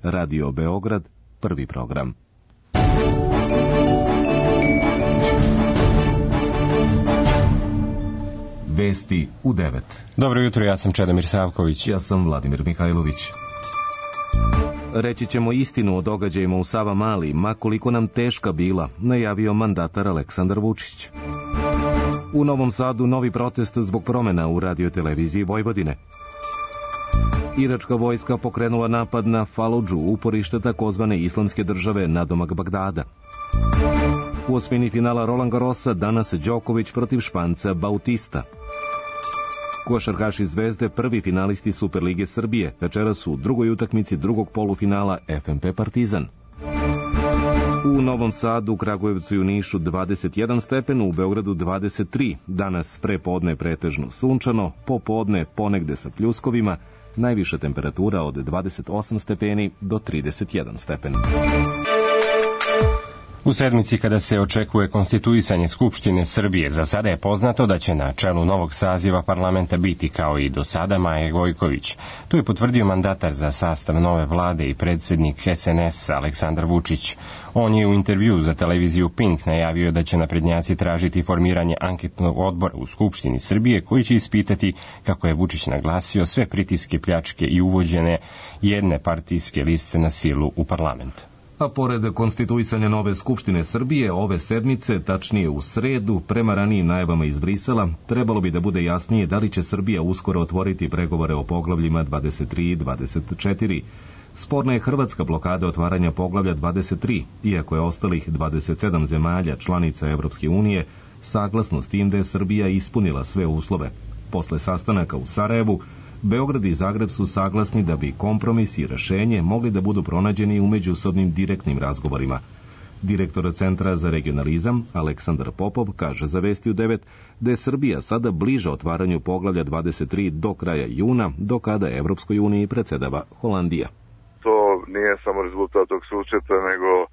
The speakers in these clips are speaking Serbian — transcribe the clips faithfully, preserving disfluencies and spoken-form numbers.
Radio Beograd, prvi program. Vesti u devet. Dobro jutro, ja sam Čedomir Savković. Ja sam Vladimir Mihajlović. Reći ćemo istinu o događajima u Savamali, ma koliko nam teška bila, najavio mandatar Aleksandar Vučić. U Novom Sadu novi protest zbog promjena u radioteleviziji Vojvodine. Iračka vojska pokrenula napad na Faludžu, uporište takozvane islamske države nadomak Bagdada. U osmini finala Roland Garrosa danas Đoković protiv Španca Bautista. Košarkaši Zvezde prvi finalisti Superlige Srbije, večeras su u drugoj utakmici drugog polufinala F M P Partizan. U Novom Sadu, Kragujevcu i u Nišu dvadeset jedan stepen, u Beogradu dvadeset tri. Danas prepodne pretežno sunčano, popodne ponegde sa pljuskovima, najviša temperatura od dvadeset osam stepeni do trideset jedan stepen. U sedmici kada se očekuje konstituisanje Skupštine Srbije, za sada je poznato da će na čelu novog saziva parlamenta biti, kao i do sada, Maja Gojković. To je potvrdio mandatar za sastav nove vlade i predsjednik S N S Aleksandar Vučić. On je u intervju za televiziju Pink najavio da će naprednjaci tražiti formiranje anketnog odbora u Skupštini Srbije koji će ispitati, kako je Vučić naglasio, sve pritiske, pljačke i uvođene jedne partijske liste na silu u parlament. A pored konstituisanja nove Skupštine Srbije, ove sedmice, tačnije u sredu, prema ranijim najavama iz Brisela, trebalo bi da bude jasnije da li će Srbija uskoro otvoriti pregovore o poglavljima dvadeset tri i dvadeset četiri. Sporna je hrvatska blokada otvaranja poglavlja dvadeset tri, iako je ostalih dvadeset sedam zemalja članica Evropske unije saglasno s tim da je Srbija ispunila sve uslove. Posle sastanaka u Sarajevu, Beograd i Zagreb su saglasni da bi kompromis i rešenje mogli da budu pronađeni u međusobnim direktnim razgovorima. Direktor Centra za regionalizam Aleksandar Popov kaže za Vesti u devet da je Srbija sada bliža otvaranju poglavlja dvadeset tri do kraja juna, do kada Evropskoj uniji predsedava Holandija. To nije samo rezultat tog susreta, nego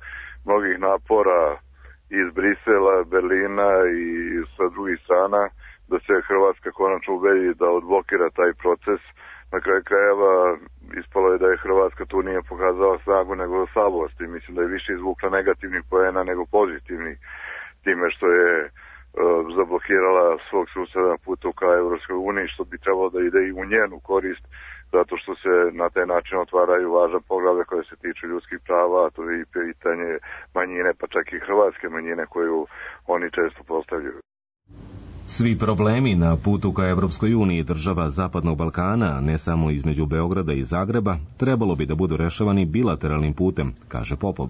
mnogih napora iz Brisela, Berlina i sa drugih strana, da se Hrvatska konačno ubedi da odblokira taj proces. Na kraju krajeva ispalo je da je Hrvatska tu nije pokazala snagu nego slabost i mislim da je više izvukla negativnih poena nego pozitivnih time što je uh, zablokirala svog suseda na putu ka Evropskoj uniji, što bi trebalo da ide i u njenu korist, zato što se na taj način otvaraju važna poglavlja koje se tiču ljudskih prava, a to je i pitanje manjine, pa čak i hrvatske manjine koju oni često postavljaju. Svi problemi na putu ka Evropskoj uniji država Zapadnog Balkana, ne samo između Beograda i Zagreba, trebalo bi da budu rešavani bilateralnim putem, kaže Popov.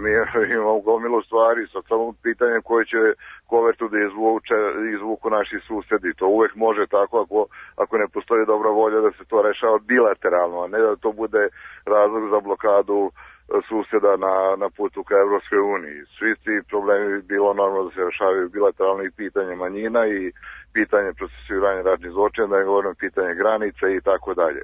Mi imamo gomilu stvari, sad samo pitanje koje će kovertu da izvuče, izvuku naši susedi. To uvek može tako ako, ako ne postoji dobra volja da se to rešava bilateralno, a ne da to bude razlog za blokadu suseda na, na putu ka Evropskoj uniji. Svi ti problemi bi bilo normalno da se rešavaju bilateralno, i pitanje manjina i pitanje procesuiranja ratnih zločina, da ne govorim pitanje granica i tako dalje.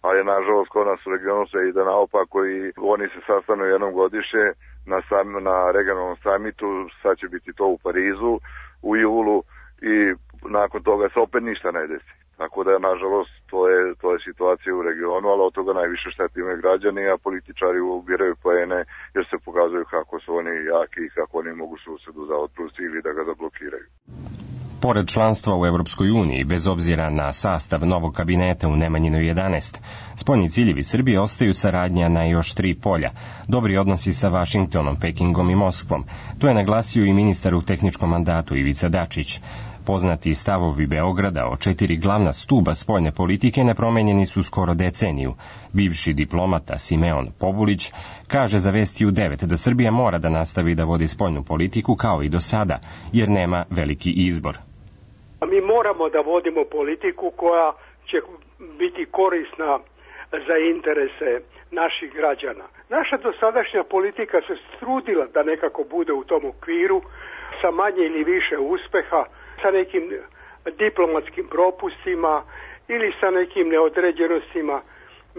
Ali nažalost kod nas u regionu se ide naopako i oni se sastanu jednom godišnje na, sam, na regionalnom samitu, sad će biti to u Parizu u julu i nakon toga se opet ništa ne desi. Tako da, nažalost, to je, to je situacija u regionu, ali od toga najviše šteti imaju građani, a političari ubiraju poene jer se pokazuju kako su oni jaki i kako oni mogu susedu za otpust ili da ga zablokiraju. Pored članstva u Evropskoj uniji, bez obzira na sastav novog kabineta u Nemanjinoj jedanaest, spoljni ciljevi Srbije ostaju saradnja na još tri polja. Dobri odnosi sa Vašingtonom, Pekingom i Moskvom. To je naglasio i ministar u tehničkom mandatu Ivica Dačić. Poznati stavovi Beograda o četiri glavna stuba spoljne politike nepromenjeni su skoro deceniju. Bivši diplomata Simeon Pobulić kaže za Vesti u devet da Srbija mora da nastavi da vodi spoljnu politiku kao i do sada, jer nema veliki izbor. Mi moramo da vodimo politiku koja će biti korisna za interese naših građana. Naša dosadašnja politika se trudila da nekako bude u tom okviru sa manje ili više uspeha, sa nekim diplomatskim propustima ili sa nekim neodređenostima.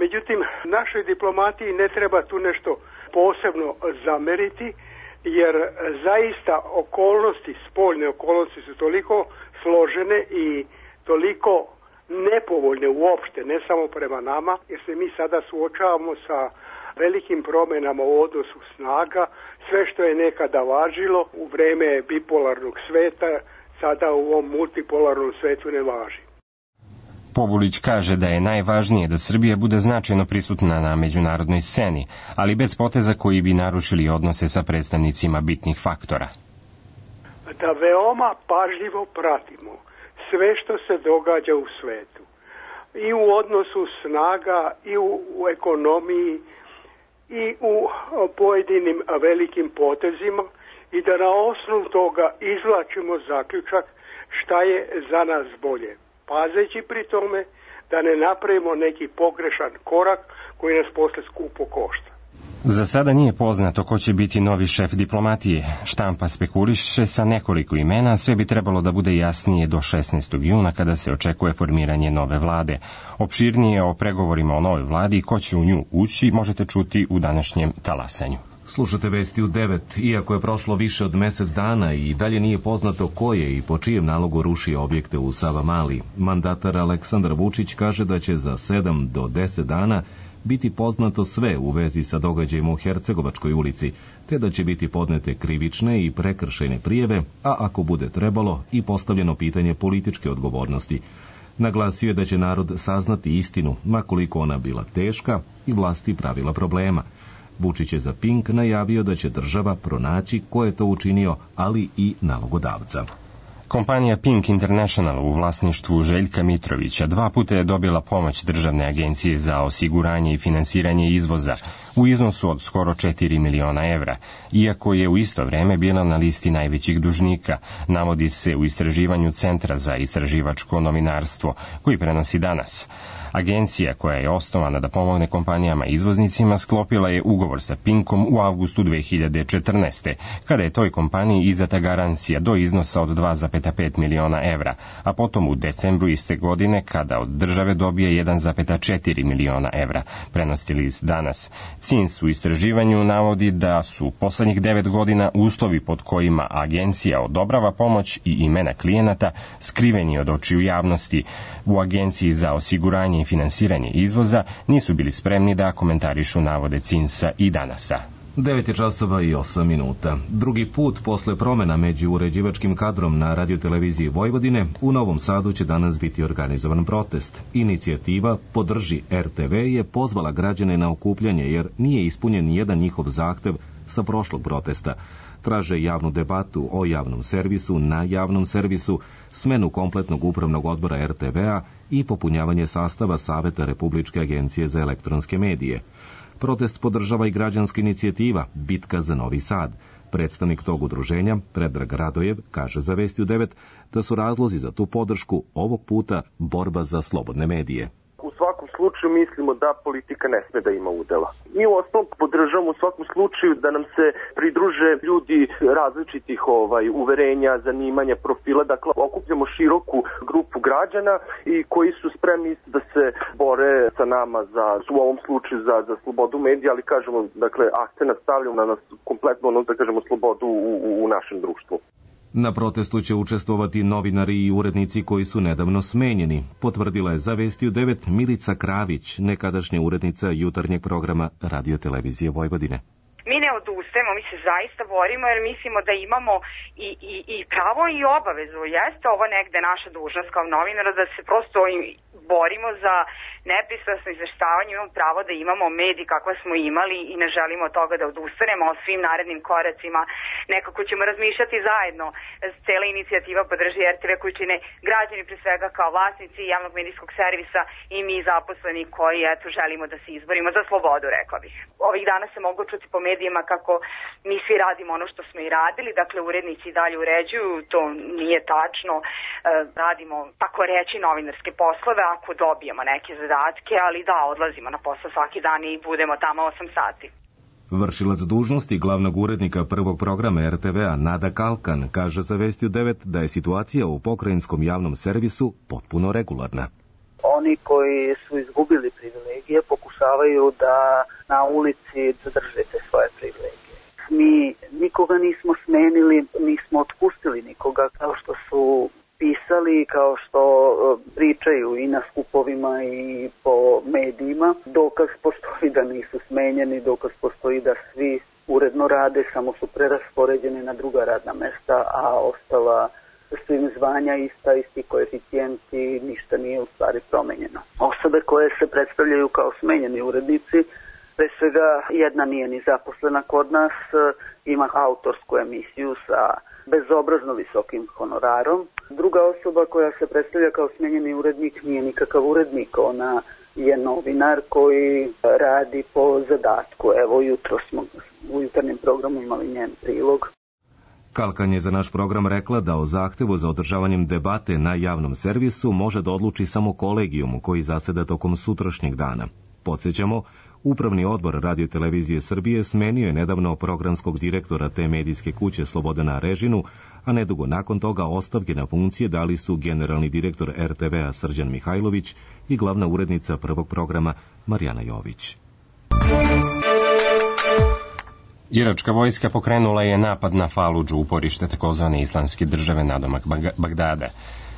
Međutim, našoj diplomatiji ne treba tu nešto posebno zameriti, jer zaista okolnosti, spoljne okolnosti su toliko složene i toliko nepovoljne uopšte, ne samo prema nama, jer se mi sada suočavamo sa velikim promjenama u odnosu snaga. Sve što je nekada važilo u vrijeme bipolarnog sveta, sada u ovom multipolarnom svetu ne važi. Pobulić kaže da je najvažnije da Srbija bude značajno prisutna na međunarodnoj sceni, ali bez poteza koji bi narušili odnose sa predstavnicima bitnih faktora. Da veoma pažljivo pratimo sve što se događa u svetu. I u odnosu snaga, i u, u ekonomiji, i u pojedinim velikim potezima i da na osnovu toga izvlačimo zaključak šta je za nas bolje. Pazeći pri tome da ne napravimo neki pogrešan korak koji nas posle skupo košta. Za sada nije poznato ko će biti novi šef diplomatije. Štampa spekuliše sa nekoliko imena, sve bi trebalo da bude jasnije do šesnaestog juna kada se očekuje formiranje nove vlade. Opširnije o pregovorima o novoj vladi i ko će u nju ući možete čuti u današnjem talasanju. Slušate vesti u devet. Iako je prošlo više od mesec dana i dalje nije poznato ko je i po čijem nalogu rušio objekte u Savamali, mandatar Aleksandar Vučić kaže da će za sedam do deset dana biti poznato sve u vezi sa događajima u Hercegovačkoj ulici, te da će biti podnete krivične i prekršajne prijave, a ako bude trebalo i postavljeno pitanje političke odgovornosti. Naglasio je da će narod saznati istinu, ma koliko ona bila teška i vlasti pravila problema. Vučić je za Pink najavio da će država pronaći ko je to učinio, ali i nalogodavca. Kompanija Pink International u vlasništvu Željka Mitrovića dva puta je dobila pomoć Državne agencije za osiguranje i finansiranje izvoza u iznosu od skoro četiri miliona evra, iako je u isto vreme bila na listi najvećih dužnika, navodi se u istraživanju Centra za istraživačko novinarstvo, koji prenosi Danas. Agencija, koja je osnovana da pomogne kompanijama izvoznicima, sklopila je ugovor sa Pinkom u avgustu dve hiljade četrnaeste. kada je toj kompaniji izdata garancija do iznosa od dva zarez pet miliona evra, a potom u decembru iste godine kada od države dobije jedan zarez četiri miliona evra, prenosi list Danas. C I N S u istraživanju navodi da su poslednjih devet godina uslovi pod kojima agencija odobrava pomoć i imena klijenata skriveni od očiju javnosti. U Agenciji za osiguranje i finansiranje izvoza nisu bili spremni da komentarišu navode C I N S-a i Danasa. devet je časova i osam minuta. Drugi put posle promena među uređivačkim kadrom na radioteleviziji Vojvodine, u Novom Sadu će danas biti organizovan protest. Inicijativa Podrži R T V je pozvala građane na okupljanje jer nije ispunjen nijedan njihov zahtev sa prošlog protesta. Traže javnu debatu o javnom servisu na javnom servisu, smenu kompletnog upravnog odbora R T V-a i popunjavanje sastava Saveta Republičke agencije za elektronske medije. Protest podržava i građanska inicijativa Bitka za Novi Sad. Predstavnik tog udruženja, Predrag Radojev, kaže za Vesti u devet da su razlozi za tu podršku ovog puta borba za slobodne medije. U svakom slučaju mislimo da politika ne sme da ima udela. Mi u osnovu podržavamo u svakom slučaju da nam se pridruže ljudi različitih ovaj uverenja, zanimanja, profila, dakle okupljamo široku grupu građana i koji su spremni da se bore sa nama za, u ovom slučaju za, za slobodu medija, ali kažemo, dakle, akcenat stavljamo na nas kompletno, ono da kažemo, slobodu u, u, u našem društvu. Na protestu će učestvovati novinari i urednici koji su nedavno smenjeni, potvrdila je za Vesti u devet Milica Kravić, nekadašnja urednica jutarnjeg programa radiotelevizije Vojvodine. Mi ne odustajemo, mi se zaista borimo jer mislimo da imamo i, i, i pravo i obavezu. Jeste ovo negde naša dužnost kao novinara da se prosto borimo za nepristrasno izveštavanje, imamo pravo da imamo mediji kakve smo imali i ne želimo od toga da odustanemo o svim narednim koracima. Nekako ćemo razmišljati zajedno. Cela inicijativa Podrži R T V koju čine građani pre svega kao vlasnici javnog medijskog servisa i mi zaposleni koji eto želimo da se izborimo za slobodu, rekla bih. Ovih dana se mogu čuti po medijima kako mi svi radimo ono što smo i radili, dakle urednici i dalje uređuju, to nije tačno, e, radimo tako reći novinarske poslove ako dobijemo neke zadatke, ali da, odlazimo na posao svaki dan i budemo tamo osam sati. Vršilac dužnosti glavnog urednika prvog programa R T V-a Nada Kalkan kaže za Vesti u devet da je situacija u pokrajinskom javnom servisu potpuno regularna. Oni koji su izgubili privilegije pokušavaju da na ulici zadrže te svoje privilegije. Mi nikoga nismo smenili, nismo otpustili nikoga, kao što su pisali pisali, kao što pričaju i na skupovima i po medijima. Dokaz postoji da nisu smenjeni, dokaz postoji da svi uredno rade, samo su preraspoređeni na druga radna mesta, a ostala su im zvanja ista, isti koeficijenti, ništa nije u stvari promenjeno. Osobe koje se predstavljaju kao smenjeni urednici, pre svega jedna nije ni zaposlena kod nas, ima autorsku emisiju sa bezobrazno visokim honorarom. Druga osoba koja se predstavlja kao smenjeni urednik nije nikakav urednik, ona je novinar koji radi po zadatku. Evo, jutro smo u jutarnjem programu imali njen prilog. Kalkan je za naš program rekla da o zahtevu za održavanjem debate na javnom servisu može da odluči samo kolegijum koji zaseda tokom sutrašnjeg dana. Podsjećamo, Upravni odbor Radio-televizije Srbije smenio je nedavno programskog direktora te medijske kuće Slobodana Režinu, a nedugo nakon toga ostavke na funkcije dali su generalni direktor er te ve-a Srđan Mihajlović i glavna urednica prvog programa Marijana Jović. Iračka vojska pokrenula je napad na Faludžu, uporište takozvane islamske države nadomak Bagdada.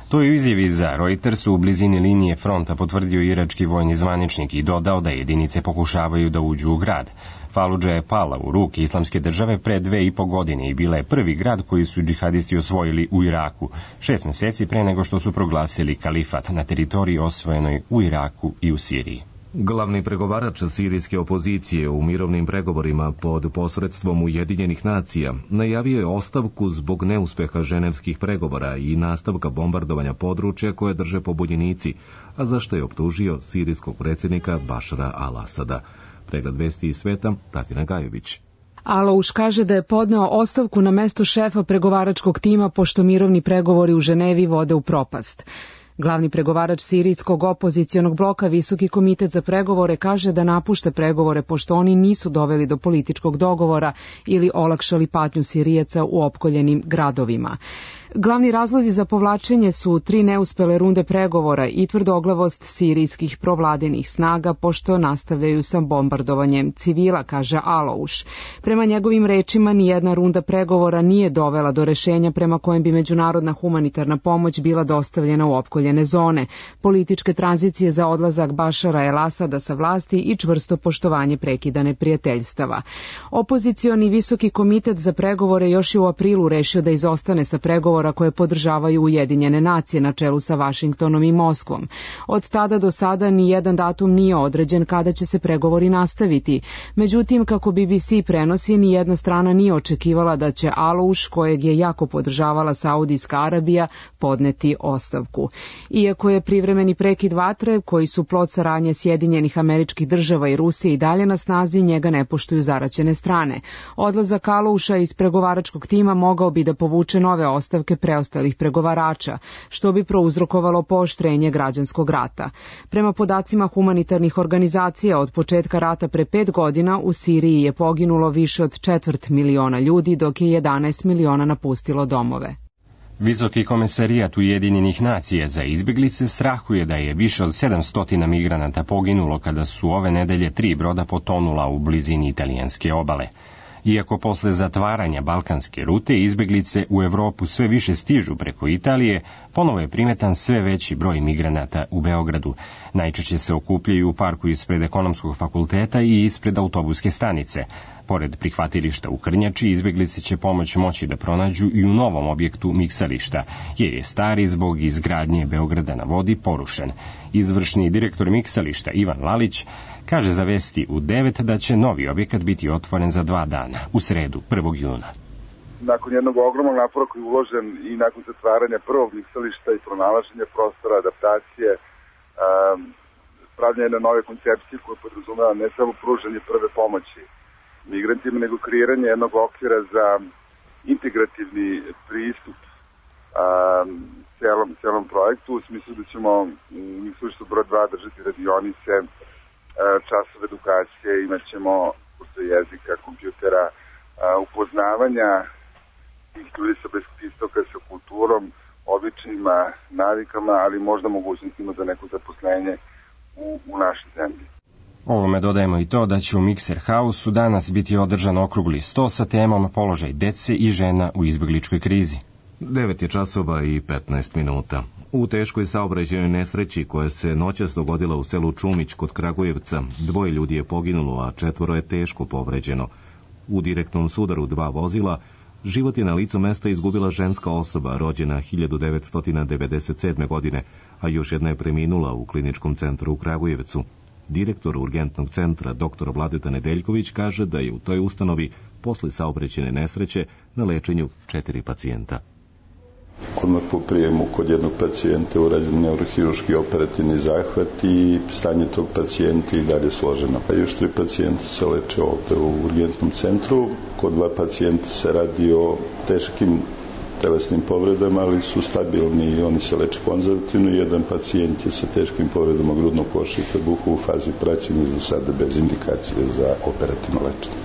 To je u izjavi za Reuters u blizini linije fronta potvrdio irački vojni zvaničnik i dodao da jedinice pokušavaju da uđu u grad. Faludža je pala u ruke islamske države pre dve i po godine i bila je prvi grad koji su džihadisti osvojili u Iraku, šest meseci pre nego što su proglasili kalifat na teritoriji osvojenoj u Iraku i u Siriji. Glavni pregovarač sirijske opozicije u mirovnim pregovorima pod posredstvom Ujedinjenih nacija najavio je ostavku zbog neuspeha ženevskih pregovora i nastavka bombardovanja područja koje drže pobunjenici, a za što je optužio sirijskog predsjednika Bašara al-Asada. Pregled vesti iz sveta, Tatjana Gajović. Alouš kaže da je podneo ostavku na mesto šefa pregovaračkog tima pošto mirovni pregovori u Ženevi vode u propast. Glavni pregovarač sirijskog opozicionog bloka Visoki komitet za pregovore kaže da napušta pregovore pošto oni nisu doveli do političkog dogovora ili olakšali patnju Sirijaca u opkoljenim gradovima. Glavni razlozi za povlačenje su tri neuspele runde pregovora i tvrdoglavost sirijskih provladinih snaga pošto nastavljaju sa bombardovanjem civila, kaže Alouš. Prema njegovim rečima, nijedna runda pregovora nije dovela do rešenja prema kojem bi međunarodna humanitarna pomoć bila dostavljena u opkoljene zone, političke tranzicije za odlazak Bašara el-Asada sa vlasti i čvrsto poštovanje prekidane prijateljstava. Opozicioni Visoki komitet za pregovore još je u aprilu rešio da izostane sa pregovora koje podržavaju Ujedinjene nacije na čelu sa Vašingtonom i Moskvom. Od tada do sada ni jedan datum nije određen kada će se pregovori nastaviti. Međutim, kako B B C prenosi, ni jedna strana nije očekivala da će Alouš, kojeg je jako podržavala Saudijska Arabija, podneti ostavku. Iako je privremeni prekid vatre, koji su plod saradnje Sjedinjenih Američkih Država i Rusije i dalje na snazi, njega ne poštuju zaraćene strane. Odlazak Alouša iz pregovaračkog tima mogao bi da povuče nove ostavke preostalih pregovarača, što bi prouzrokovalo pooštrenje građanskog rata. Prema podacima humanitarnih organizacija, od početka rata pre pet godina u Siriji je poginulo više od četvrt miliona ljudi, dok je jedanaest miliona napustilo domove. Visoki komesarijat Ujedinjenih nacija za izbjeglice strahuje da je više od sedamsto migranata poginulo kada su ove nedelje tri broda potonula u blizini italijanske obale. Iako posle zatvaranja balkanske rute izbjeglice u Evropu sve više stižu preko Italije, ponovo je primetan sve veći broj migranata u Beogradu. Najčešće se okupljaju u parku ispred Ekonomskog fakulteta i ispred autobuske stanice. Pored prihvatilišta u Krnjači, izbjeglice će pomoć moći da pronađu i u novom objektu miksališta, jer je stari zbog izgradnje Beograda na vodi porušen. Izvršni direktor miksališta Ivan Lalić kaže za Vesti u devet da će novi objekat biti otvoren za dva dana, u sredu, prvog juna. Nakon jednog ogromnog napora koji je uložen i nakon zatvaranja prvog miksališta i pronalaženja prostora, adaptacije, um, pravljanje jedne nove koncepcije koja podrazumeva ne samo pružanje prve pomoći migrantima, nego kreiranje jednog okvira za integrativni pristup um, celom, celom projektu, u smislu da ćemo u miksalištu broj dva držati radionice, časove edukacije, imat ćemo kurse jezika, kompjutera, upoznavanja tih ljudi sa Bliskog istoka sa kulturom, običajima, navikama, ali možda mogućnostima za neko zaposlenje u, u našoj zemlji. Ovome dodajemo i to da će u Mikser Hausu danas biti održan okrugli sto sa temom položaj dece i žena u izbjegličkoj krizi. devet je časova i petnaest minuta. U teškoj saobraćajnoj nesreći koja se noćas dogodila u selu Čumić kod Kragujevca, dvoje ljudi je poginulo, a četvoro je teško povređeno. U direktnom sudaru dva vozila život je na licu mesta izgubila ženska osoba rođena hiljadu devetsto devedeset sedme. godine, a još jedna je preminula u kliničkom centru u Kragujevcu. Direktor urgentnog centra, doktor Vladeta Nedeljković, kaže da je u toj ustanovi posle saobraćajne nesreće na lečenju četiri pacijenta. Odmah po prijemu kod jednog pacijenta urađen neurohiruški operativni zahvat i stanje tog pacijenta i dalje složeno. A još tri pacijenta se leče ovde u urgentnom centru. Kod dva pacijenta se radi o teškim telesnim povredama, ali su stabilni i oni se leče konzervativno. Jedan pacijent je sa teškim povredama grudnog koša i trbuha u fazi praćenja, za sada bez indikacije za operativno lečenje.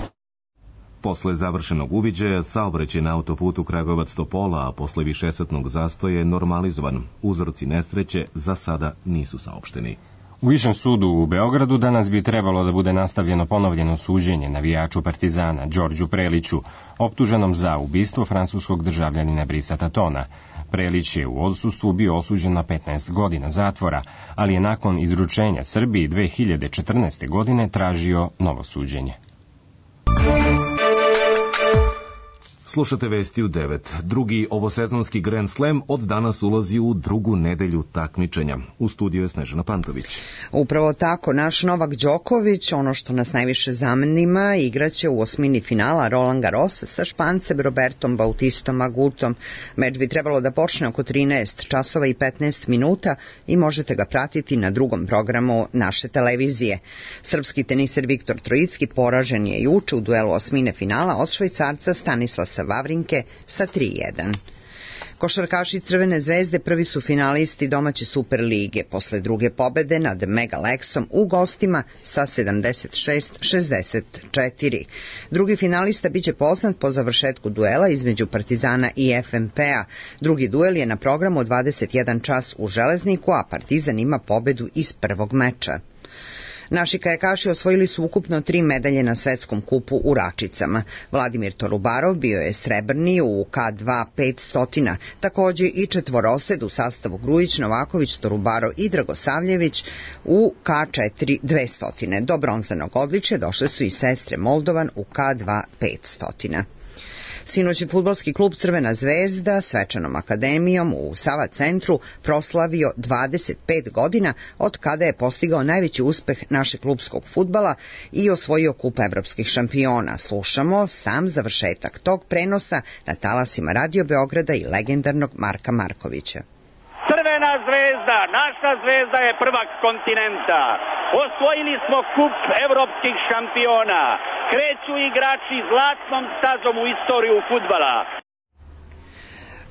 Posle završenog uviđaja, saobraćaj na autoputu Kragujevac-Topola, a posle višesatnog zastoja je normalizovan. Uzroci nesreće za sada nisu saopšteni. U Višem sudu u Beogradu danas bi trebalo da bude nastavljeno ponovljeno suđenje navijaču Partizana Đorđu Preliću, optuženom za ubistvo francuskog državljanina Brisa Tatona. Prelić je u odsustvu bio osuđen na petnaest godina zatvora, ali je nakon izručenja Srbiji dve hiljade četrnaeste. godine tražio novo suđenje. Slušate vesti u devet. Drugi ovosezonski Grand Slam od danas ulazi u drugu nedelju takmičenja. U studiju je Snežana Pantović. Upravo tako, naš Novak Đoković, ono što nas najviše zanima, igraće u osmini finala Roland Garrosa sa Špancem Robertom Bautistom Agutom. Meč bi trebalo da počne oko trinaest časova i petnaest minuta i možete ga pratiti na drugom programu naše televizije. Srpski teniser Viktor Trojicki poražen je juče u duelu osmine finala od Švajcarca Stanislasa Vavrinke sa tri jedan. Košarkaši Crvene zvezde prvi su finalisti domaće Super lige posle druge pobede nad Mega Lexom u gostima sa sedamdeset šest šezdeset četiri. Drugi finalista biće poznat po završetku duela između Partizana i F M P-a. Drugi duel je na programu od dvadeset jedan čas u Železniku, a Partizan ima pobedu iz prvog meča. Naši kajakaši osvojili su ukupno tri medalje na svetskom kupu u Račicama. Vladimir Torubarov bio je srebrni u K dva petsto, takođe i četvorosed u sastavu Grujić, Novaković, Torubarov i Dragosavljević u K četiri dvesta. Do bronzanog odličja došle su i sestre Moldovan u K dva petsto. Sinoć je fudbalski klub Crvena zvezda svečanom akademijom u Sava centru proslavio dvadeset pet godina od kada je postigao najveći uspeh našeg klubskog fudbala i osvojio kup evropskih šampiona. Slušamo sam završetak tog prenosa na talasima Radio Beograda i legendarnog Marka Markovića. Crvena zvezda, naša zvezda je prvak kontinenta. Osvojili smo kup evropskih šampiona. Kreću igrači zlatnom stazom u istoriju fudbala.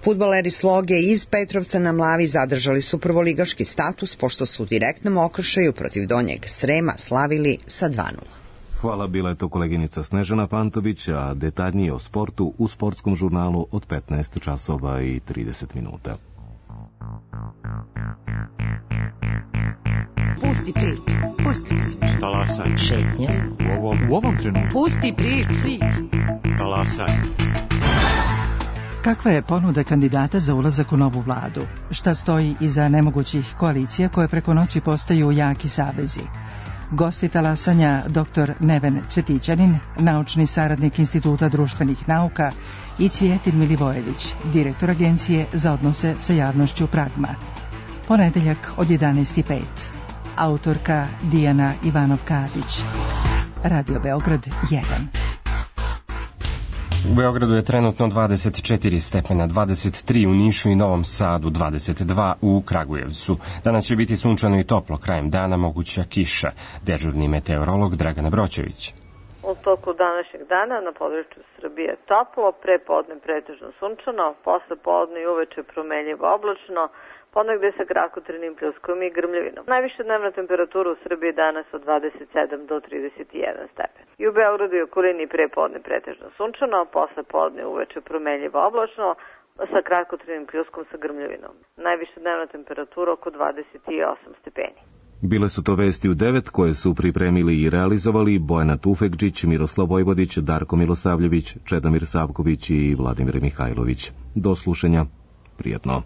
Fudbaleri Sloge iz Petrovca na Mlavi zadržali su prvoligaški status pošto su u direktnom okršaju protiv Donjeg Srema slavili sa dva nula. Hvala, bila je to koleginica Snežana Pantović, a detaljnije o sportu u sportskom žurnalu od petnaest časova i trideset minuta. Pusti priču, pusti priču. Talasaj. Šetnja. U ovom, u ovom trenutku. Pusti priču. Talasaj. Kakva je ponuda kandidata za ulazak u novu vladu? Šta stoji iza nemogućih koalicija koje preko noći postaju jaki savezi? Gosti talasanja doktor Neven Cvetićanin, naučni saradnik Instituta društvenih nauka, i Cvijetin Milivojević, direktor Agencije za odnose sa javnošću Pragma. Ponedeljak od jedanaest i pet. Autorka Dijana Ivanov-Kadić. Radio Beograd jedan. U Beogradu je trenutno dvadeset četiri stepena, dvadeset tri u Nišu i Novom Sadu, dvadeset dva u Kragujevcu. Danas će biti sunčano i toplo, krajem dana moguća kiša. Dežurni meteorolog Dragana Broćević. U toku današnjeg dana na području Srbije toplo, pre podne pretežno sunčano, posle podne i uveče promenljivo oblačno, ponegde sa kratkotrajnim pljuskom i grmljavinom. Najviša dnevna temperatura u Srbiji danas od dvadeset sedam do trideset jedan stepen. I u Beogradu i okolini pre podne pretežno sunčano, posle podne i uveče promenljivo oblačno, sa kratkotrajnim pljuskom sa grmljavinom. Najviša dnevna temperatura oko dvadeset osam stepeni. Bile su to vesti u devet koje su pripremili i realizovali Bojana Tufekđić, Miroslav Vojvodić, Darko Milosavljević, Čedomir Savković i Vladimir Mihajlović. Do slušanja. Prijatno.